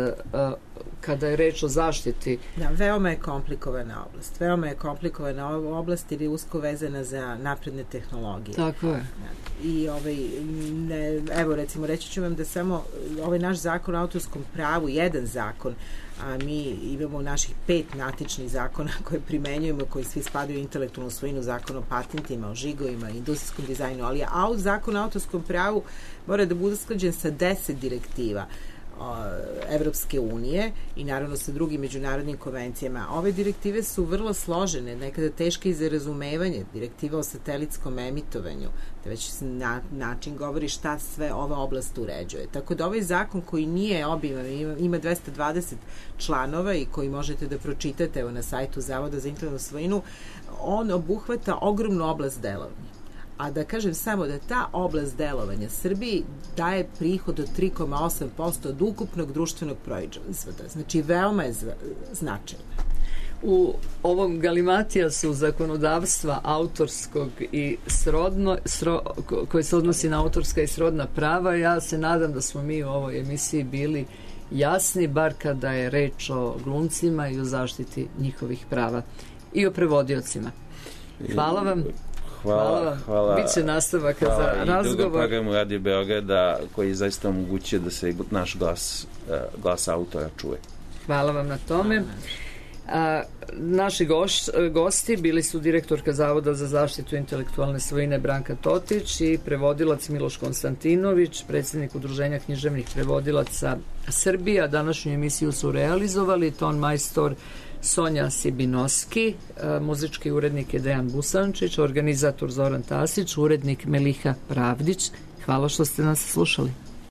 kada je reč o zaštiti? Da, veoma je komplikovana oblast. Veoma je komplikovana oblast jer je usko vezana za napredne tehnologije. Tako je. I evo recimo reći ću vam da samo ovaj naš zakon o autorskom pravu, jedan zakon, a mi imamo naših 5 matičnih zakona koje primenjujemo, koji svi spadaju u intelektualnu svojinu, zakon o patentima, o žigovima, industrijskom dizajnu, ali zakon o autorskom pravu mora da bude usklađen sa 10 direktiva Evropske unije i naravno sa drugim međunarodnim konvencijama. Ove direktive su vrlo složene, nekada teške i za razumevanje. Direktiva o satelitskom emitovanju, da već način govori šta sve ova oblast uređuje. Tako da ovaj zakon koji nije obiman, ima 220 članova i koji možete da pročitate na sajtu Zavoda za intelektualnu svojinu, on obuhvata ogromnu oblast delovanja. A da kažem samo da ta oblast delovanja Srbiji daje prihod od 3,8% od ukupnog društvenog proizvoda. Znači, veoma je značajna. U ovom galimatijasu zakonodavstva autorskog i koji se odnosi na autorska i srodna prava, ja se nadam da smo mi u ovoj emisiji bili jasni, bar kada je reč o glumcima i o zaštiti njihovih prava i o prevodiocima. Hvala vam. Hvala. Biće nastavaka za razgovor. I drugom programu Radio Beograda koji zaista omogućuje da se naš glas autora čuje. Hvala vam na tome. Naši gosti bili su direktorka Zavoda za zaštitu intelektualne svojine Branka Totić i prevodilac Miloš Konstantinović, predsjednik Udruženja književnih prevodilaca Srbije. Današnju emisiju su realizovali ton majstor Sonja Sibinoski, muzički urednik je Dejan Busančić, organizator Zoran Tasić, urednik Meliha Pravdić. Hvala što ste nas slušali.